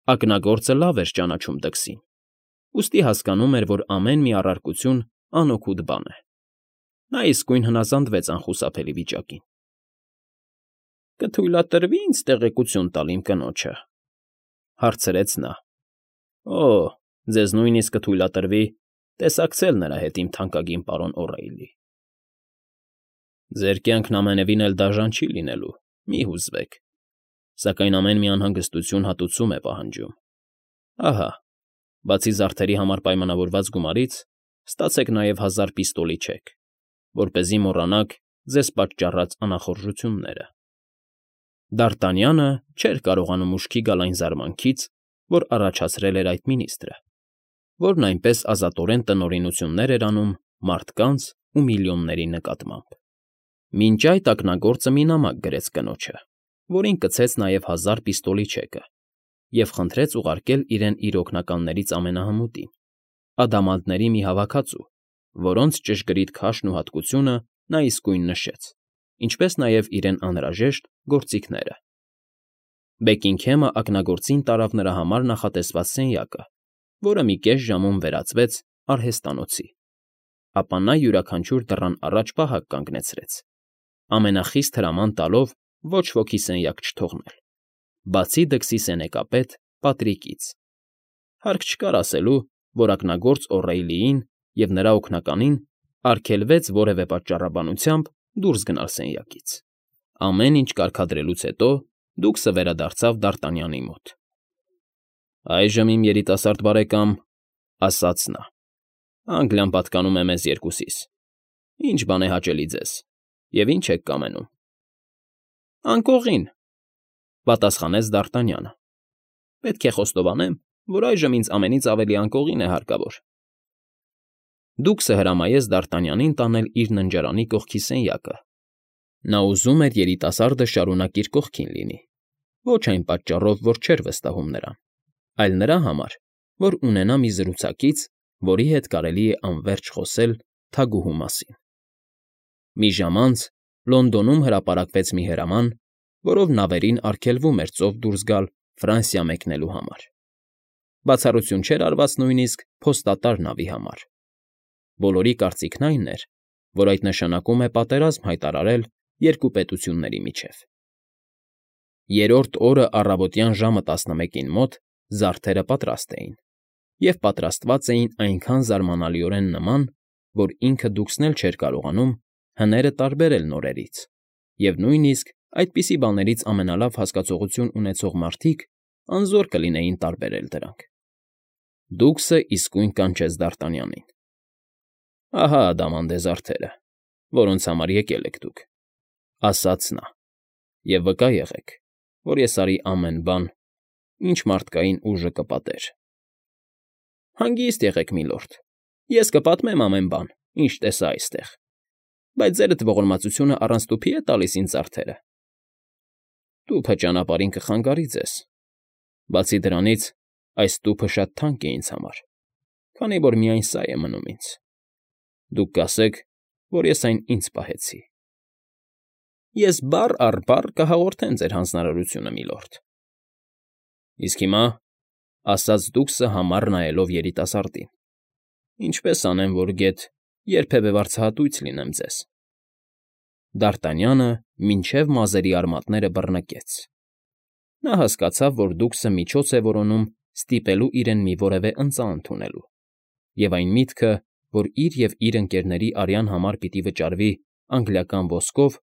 Ակնագործը լավ էր ճանաչում դքսին, ուստի հասկանում էր, որ ամեն մի առարկություն անօգուտ բան է։ Նա իսկույն հնազանդվեց անխուսափելի վիճակին։ «Կթույլատրվի՞ ինձ տեղեկություն տալ իմ կնոջը,֊ հարցրեց նա։ ֊ Ձեզ նույնիսկ կթույլատրվի տեսակցել նրա հետ, իմ թանկագին պարոն Օ'Րեյլի։ ֊ Ձեր կյանքն ամենևին էլ դաժան չի լինելու, մի հուզվեք, սակայն ամեն մի անհանգստություն հատուցում է պահանջում։ Ահա, բացի զարդերի համար պայմանավորված գումարից, ստացեք նաև 1000 պիստոլի չեք, որպեսզի մոռանաք ձեզ պատճառած անախորժությունները։ Դ'Արտանյանը չէր կարողանում ուշքի գալ այն զարմանքից, որ առաջացրել էր այդ մինիստրը, որն այնպես ազատորեն տնօրինություններ էր անում մարդկանց ու միլիոնների նկատմամբ։ Մինչ այդ ակնագործը մի նամակ գրեց կնոջը, որին կցեց նաև 1000 պիստոլի չեկը, և խնդրեց ուղարկել իրեն իր օգնականներից ամենահմուտին, ադամանդների մի հավաքածու, որոնց ճշգրիտ քաշն ու հատկությունը նա իսկույն նշեց, ինչպես նաև իրեն անհրաժեշտ գործիքները։ Բեքինգհեմը ակնագործին տարավ նրա համար նախատեսված սենյակը, որը մի կես ժամում վերածվեց արհեստանոցի, ապա նա յուրաքանչյուր դռան առաջ պահակ կանգնեցրեց, ամենախիստ հրաման տալով ոչ ոքի սենյակ չթողնել, բացի դքսի սենեկապետ Պատրիկից։ Հարկ չկար ասելու, որ ակնագործ Օ'Րեյլիին և նրա օգնականին արգելվեց որևէ պատճառաբանությամբ դուրս գնալ սենյակից։ Ամեն ինչ կարգադրելուց հետո դուքսը վերադարձավ Դ'Արտանյանի մոտ։ ֊ Այժմ, իմ երիտասարդ բարեկամ,֊ ասաց նա,֊ Անգլիան պատկանում է մեզ երկուսիս. ի՞նչ բան է հաճելի ձեզ և ի՞նչ եք կամենում։ ֊ Անկողին,֊ պատասխանեց Դ'Արտանյանը։ Պետք է խոստովանեմ, որ այժմ ինձ ամենից ավելի անկողին է հարկավոր։ Դուքսը հրամայեց Դ'Արտանյանին տանել իր ննջարանի կողքի սենյակը։ Նա ուզում էր երիտասարդը շարունակ իր կողքին լինի, ոչ այն պատճառով, որ չէր վստահում նրան, այլ նրա համար, որ ունենա մի զրուցակից, որի հետ կարելի է անվերջ խոսել թագուհու մասին։ Մի ժամ անց Լոնդոնում հրապարակվեց մի հրաման, որով նավերին արգելվում էր ծով դուրս գալ Ֆրանսիա մեկնելու համար։ Բացառություն չէր արված նույնիսկ փոստատար նավի համար։ Բոլորի կարծիքն այն էր, որ այդ նշանակում է պատերազմ հայտարարել երկու պետությունների միջև։ Երրորդ օրը առավոտյան ժամը 11-ին մոտ զարդերը պատրաստ էին, և պատրաստված էին այնքան զարմանալիորեն նման, որ ինքը դուքսն էլ չէր կարողանում հները տարբերել նորերից, և նույնիսկ այդպիսի բաներից ամենալավ հասկացողություն ունեցող մարդիկ անզոր կլինեին տարբերել դրանք։ Դուքսը իսկույն կանչեց Դ'Արտանյանին։ ֊ Ահա ադամանդե զարդերը, որոնց համար եկել եք դուք,֊ ասաց նա,֊ և վկա եղեք, որ ես արի ամեն բան, ինչ մարդկային ուժը կպատեր։ ֊ Հանգիստ եղեք, միլորդ, ես կպատմեմ ամեն բան, ինչ տեսա այստեղ, բայց ձերդ ողորմածությունը առանց տուփի՞ է տալիս ինձ զարդերը։ ֊ Տուփը ճանապարհին կխանգարի ձեզ։ Բացի դրանից, այս տուփը շատ թանկ է ինձ համար, քանի որ միայն սա է մնում ինձ։ Դուք կասեք, որ ես այն ինձ պահեցի։ ֊ Ես բառ առ բառ կհաղորդեմ ձեր հանձնարարությունը, միլորդ։ ֊ Իսկ հիմա,֊ ասաց դուքսը համառ նայելով երիտասարդին,֊ ինչպես անեմ, որ գեթ երբևէ վարձահատույց լինեմ ձեզ։ Դ'Արտանյանը մինչև մազերի արմատները բռնկեց։ Նա հասկացավ, որ դուքսը միջոց է որոնում ստիպելու իրեն մի որևէ ընծա ընդունելու, և այն միտքը, որ իր և իր ընկերների արյան համար պիտի վճարվի անգլիական ոսկով,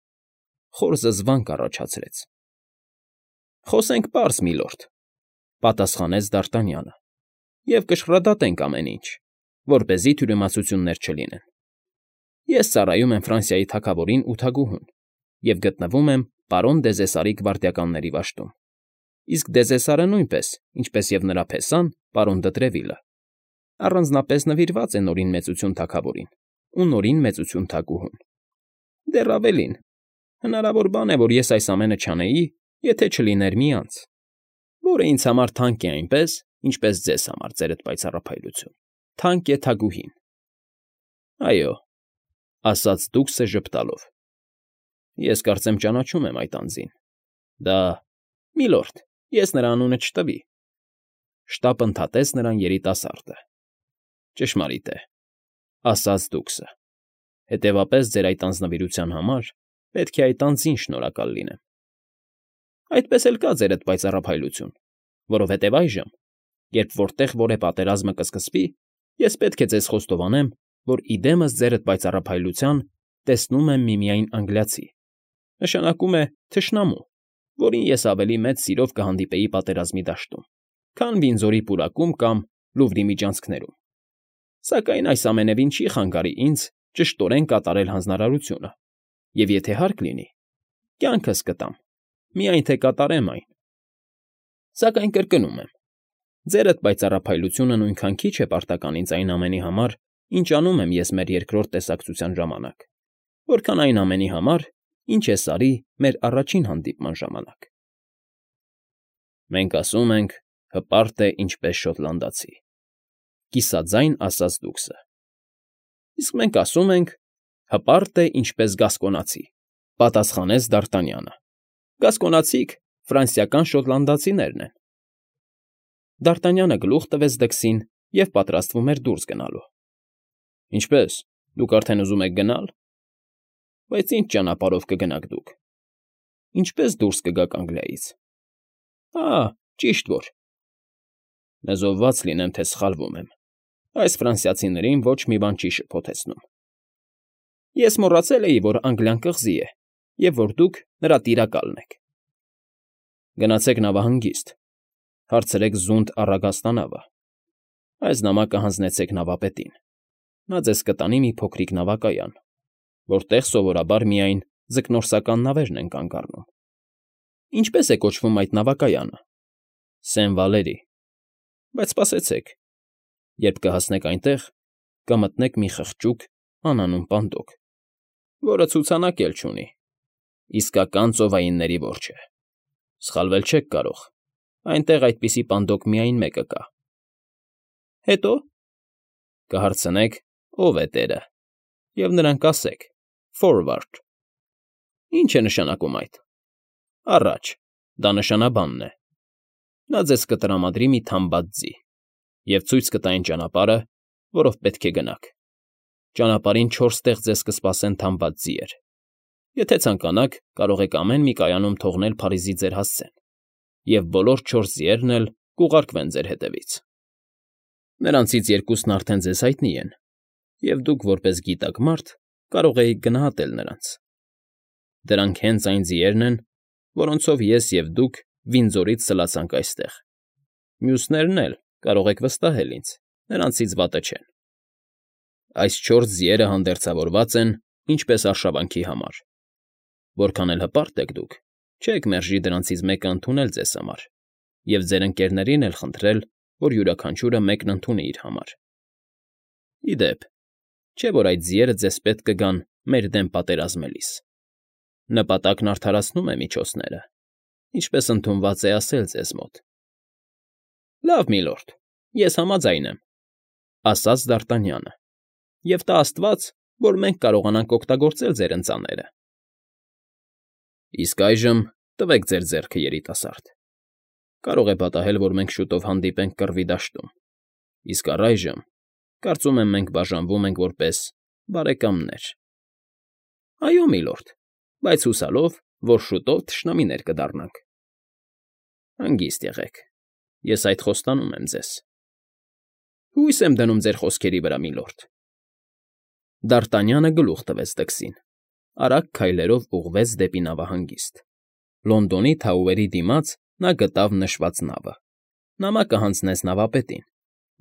խոր զզվանք առաջացրեց։ ֊ Խոսենք պարզ, միլորդ,֊ պատասխանեց Դ'Արտանյանը,֊ և կշռադատենք ամեն ինչ, որպեսզի թյուրիմացություններ չլինեն։ Ես ծառայում եմ Ֆրանսիայի թագավորին ու թագուհուն և գտնվում եմ պարոն Դեզեսարի գվարդիականների վաշտում, իսկ Դեզեսարը նույնպես, ինչպես և նրա փեսան, պարոն Դը առանձնապես նվիրված է Նորին Մեծություն թագավորին ու Նորին Մեծություն թագուհուն։ Դեռ ավելին, հնարավոր բան է, որ ես այս ամենը չանեի, եթե չլիներ մի անձ, որը ինձ համար թանկ է այնպես, ինչպես ձեզ համար, ձերդ պայծառափայլություն, թանկ է թագուհին։ ֊ Այո,֊ ասաց դուքսը ժպտալով,֊ ես կարծեմ ճանաչում եմ այդ անձին։ Դա… Միլորդ, ես նրա անունը չտվի, շտապ ընդհատեց նրան երիտասարդը։ Ճշմարիտ է, ասաց դուքսը։ Հետևապես ձեր այդ անձնվիրության համար պետք է այդ անձին շնորհակալ լինեմ։ Այդպես էլ կա ձերդ պայծառափայլություն, որովհետև այժմ, երբ որտեղ որ է պատերազմը կսկսվի, ես պետք է ձեզ խոստովանեմ, որ իդեմս ձերդ պայծառափայլության տեսնում եմ միմիայն անգլիացի, նշանակում է թշնամու, որին ես ավելի մեծ սիրով կհանդիպեի պատերազմի դաշտում, քան Վինձորի պուրակում կամ Լուվրի միջանցքներում։ Սակայն այս ամենևին չի խանգարի ինձ ճշտորեն կատարել հանձնարարությունը, և եթե հարկ լինի, կյանքս կտամ, միայն թե կատարեմ այն։ Սակայն կրկնում եմ, ձերդ պայծառափայլությունը նույնքան քիչ է պարտական ինձ այն ամենի համար, ինչ անում եմ ես մեր երկրորդ տեսակցության ժամանակ, որքան այն ամենի համար, ինչ ես արի մեր առաջին հանդիպման ժամանակ։ Մենք ասում ենք, հպարտ է ինչպես շոտլանդացի, կիսաձայն ասաց դուքսը։ Իսկ մենք ասում ենք, հպարտ է ինչպես գասկոնացի, պատասխանեց Դ'Արտանյանը։ Գասկոնացիք ֆրանսիական շոտլանդացիներն են։ Դ'Արտանյանը գլուխ տվեց դքսին և պատրաստվում էր դուրս գնալու։ Ինչպե՞ս, դուք արդեն ուզում եք գնալ։ Բայց ինչ ճանապարհով կգնաք դուք։ Ինչպե՞ս դուրս կգաք Անգլիայից։ Ճիշտ որ։ Նզովված լինեմ, թե սխալվում եմ։ Այս ֆրանսիացիներին ոչ մի բան չի շփոթեցնում։ Ես մոռացել էի, որ Անգլիան կղզի է, և որ դուք նրա տիրակալն եք։ Գնացեք նավահանգիստ, հարցրեք զունդ առագաստանավը։ Այս նամակը հանձնեցեք նավապետին։ Նա ձեզ կտանի մի փոքրիկ նավակայան, որտեղ սովորաբար միայն ձկնորսական նավերն են կանգ առնում։ Ինչպե՞ս է կոչվում այդ նավակայանը։ Սեն֊Վալերի։ Բայց սպասեցեք, երբ կհասնեք այնտեղ, կմտնեք մի խղճուկ անանուն պանդոկ, որը ցուցանակ էլ չունի, իսկական ծովայինների որջը։ Սխալվել չեք կարող, այնտեղ այդպիսի պանդոկ միայն մեկը կա։ Հետո կհարցնեք, ով է տերը, և նրան կասեք. Forward։ Ինչ է նշանակում այդ։ Առաջ, դա նշանաբանն է։ Նա ձեզ կտրամադրի մի թամբած ձի և ցույց կտա այն ճանապարհը, որով պետք է գնաք։ Ճանապարհին 4 տեղ ձեզ կսպասեն թամբած ձիեր։ Եթե ցանկանաք, կարող եք ամեն մի կայանում թողնել Փարիզի ձեր հասցեն, և բոլոր 4 ձիերն էլ կուղարկվեն ձեր հետևից։ Նրանցից 2-ն արդեն ձեզ հայտնի են, և դուք, որպես գիտակ մարդ, կարող էիք գնահատել նրանց։ Դրանք հենց այն ձիերն են, որոնցով ես և դուք Վինձորից սլացանք այստեղ։ Մյուսներն էլ, կարող եք վստահել ինձ, նրանցից վատը չեն։ Այս 4 ձիերը հանդերձավորված են ինչպես արշավանքի համար։ Որքան էլ հպարտ եք դուք, չեք մերժի դրանցից մեկը ընդունել ձեզ համար, և ձեր ընկերներին էլ խնդրել, որ յուրաքանչյուրը մեկն ընդունի իր համար։ Ի դեպ, չէ՞ որ այդ ձիերը ձեզ պետք կգան մեր դեմ պատերազմելիս։ Նպատակն արդարացնում է միջոցները, ինչպես ընդունված է ասել ձեզ մոտ։ Լավ, միլորդ, ես համաձայն եմ, ասաց Դ'Արտանյանը, և տա աստված, որ մենք կարողանանք օգտագործել ձեր ընծաները։ Իսկ այժմ տվեք ձեր ձեռքը, երիտասարդ։ Կարող է պատահել, որ մենք շուտով հանդիպենք Կռվի դաշտում, իսկ առայժմ, կարծում եմ, մենք բաժանվում ենք որպես բարեկամներ։ Այո, միլորդ, բայց հուսալով, որ շուտով թշնամիներ կդառնանք։ Հանգիստ եղեք, ես այդ խոստանում եմ ձեզ։ Հույս եմ դնում ձեր խոսքերի վրա, միլորդ։ Դ'Արտանյանը գլուխ տվեց դքսին, արագ քայլերով ուղղվեց դեպի նավահանգիստ։ Լոնդոնի Թաուերի դիմաց նա գտավ նշված նավը։ Նամակը հանձնեց նավապետին,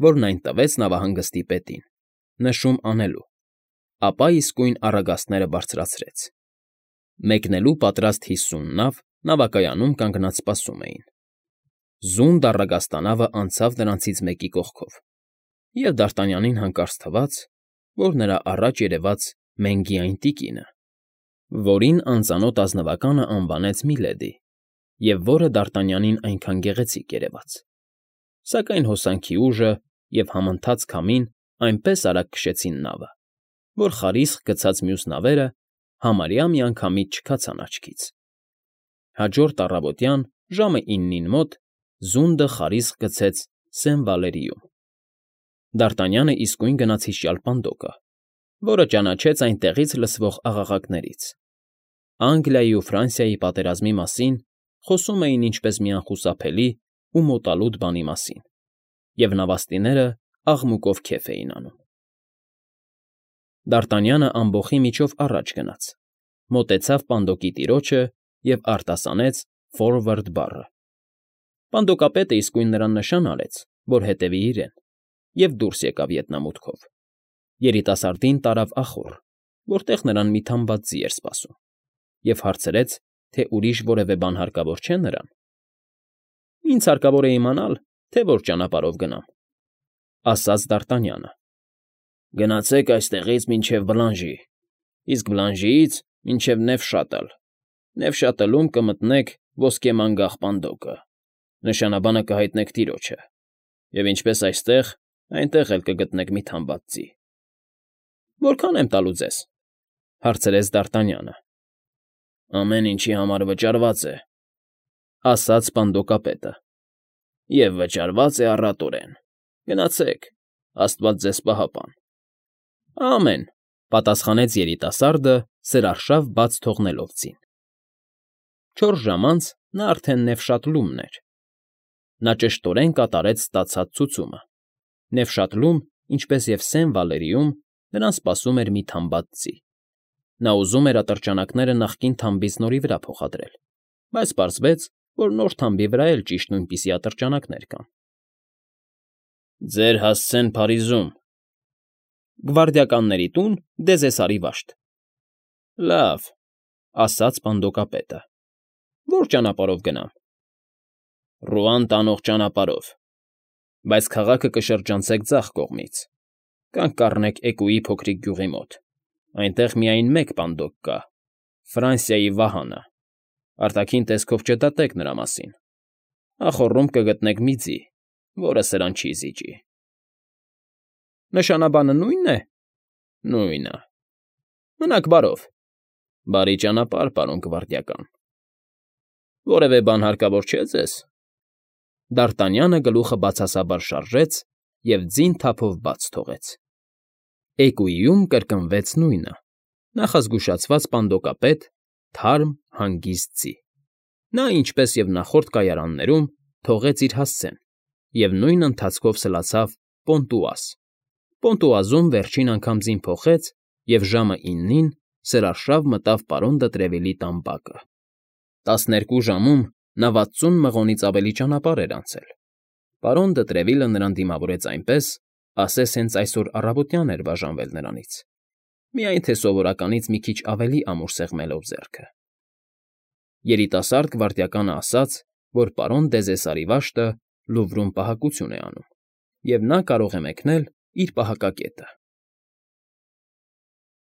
որն այն տվեց նավահանգստի պետին, նշում անելու, ապա իսկույն առագաստները բարձրացրեց։ Մեկնելու պատրաստ 50 նավ նավակայանում կանգնած սպասում էին։ Զունդ առագաստանավը անցավ նրանցից մեկի կողքով, և Դ'Արտանյանին հանկարծ թվաց, որ նրա առաջ երևաց Մենգիային տիկինը, որին անծանոթ ազնվականը անվանեց Միլեդի, և որը Դ'Արտանյանին այնքան գեղեցիկ երևաց։ Սակայն հոսանքի ուժը և համընթաց քամին այնպես արագ քշեցին նավը, որ խարիսխ գցած մյուս նավերը համարյա միանգամից չքացան աչքից։ Հաջորդ առավոտյան ժամը 9-ին մոտ զունդը խարիսխ գցեց Սեն Վալերիում։ Դ'Արտանյանը իսկույն գնաց հիշյալ Պանդոկը, որը ճանաչեց այնտեղից լսվող աղաղակներից։ Անգլիայի ու Ֆրանսիայի պատերազմի մասին խոսում էին ինչպես մի անխուսափելի ու մոտալուտ բանի մասին, և նավաստիները աղմուկով քեֆ էին անում։ Դ'Արտանյանը ամբոխի միջով առաջ գնաց, մոտեցավ Պանդոկի տիրոջը և արտասանեց «Ֆորվարդ» բառը։ Պանդոկապետը իսկույն նրան նշան արեց, որ հետևի իրեն, և դուրս եկավ ետնամուտքով։ Երիտասարդին տարավ ախոռ, որտեղ նրան մի թամբած ձի էր սպասում, և հարցրեց, թե ուրիշ որևէ բան հարկավոր չէ նրան։ Ինձ հարկավոր է իմանալ, թե որ ճանապարհով գնամ, ֊ ասաց Դ'Արտանյանը։ Գնացեք այստեղից մինչև Բլանժի, իսկ Բլանժիից մինչև Նևշատլ, Նևշատլում կմտնեք Ոսկե Մանգաղ Պանդոկը, նշանաբանը կհայտնեք տիրոջը, և ինչպես այստեղ, այնտեղ էլ կգտնեք մի թամբած ձի։ ֊ Որքան եմ տալու ձեզ, ֊ հարցրեց Դ'Արտանյանը։ ֊ Ամեն ինչի համար վճարված է, ֊ ասաց Պանդոկապետը, ֊ և վճարված է առատորեն։ Գնացեք, աստված ձեզ պահապան։ ֊ Ամեն, ֊ պատասխանեց երիտասարդը, սրարշավ բաց թողնելով ձին։ 4 ժամ անց նա արդեն Նևշատլումն էր։ Նա ճշտորեն կատարեց ստացած ցուցումը։ Նևշատլում, ինչպես և Սեն Վալերիում, նրան սպասում էր մի թամբած ձի։ Նա ուզում էր ատրճանակները նախկին թամբից նորի վրա փոխադրել, բայց պարզվեց, որ նոր թամբի վրա էլ ճիշտ նույնպիսի ատրճանակներ կան։ ֊ Ձեր հասցեն Փարիզում։ ֊ Գվարդիականների տուն, Դեզեսարի վաշտ։ ֊ Լավ, ֊ ասաց Պանդոկապետը։ ֊ Ո՞ր ճանապարհով գնամ։ ֊ Ռուան տանող ճանապարհով, բայց քաղաքը կշրջանցեք ձախ կողմից, կանգ կառնեք Էկուի փոքրիկ գյուղի մոտ, այնտեղ միայն մեկ Պանդոկ կա՝ Ֆրանսիայի վահանը, արտաքին տեսքով չդատեք նրա մասին, ախոռում կգտնեք մի ձի, որը սրան չի զիջի։ ֊ Նշանաբանը նույնն է։ ֊ Նույնը։ ֊ Մնաք բարով։ ֊ Բարի ճանապարհ, պարոն գվարդիական։ ֊ Որևէ բան հարկավոր չէ՞ ձեզ։ Դ'Արտանյանը գլուխը բացասաբար շարժեց և ձին թափով բաց թողեց։ Էկուիում կրկնվեց նույնը՝ նախազգուշացված պանդոկապետ, թարմ, հանգիստ ձի։ Նա, ինչպես և նախորդ կայարաններում, թողեց իր հասցեն և նույն ընթացքով սլացավ Պոնտուազ։ Պոնտուազում վերջին անգամ ձին փոխեց և ժամը 9-ին սրարշավ մտավ պարոն Դը Տրևիլի տան բակը։ 12 ժամում նա 60 մղոնից ավելի ճանապարհ էր անցել։ Պարոն Դը Տրևիլը նրան դիմավորեց այնպես, ասես հենց այսօր առավոտյան էր բաժանվել նրանից, միայն թե սովորականից մի քիչ ավելի ամուր սեղմելով ձեռքը։ Երիտասարդ գվարդիականը ասաց, որ պարոն Դեզեսարի վաշտը Լուվրում պահակություն է անում, և նա կարող է մեկնել իր պահակակետը։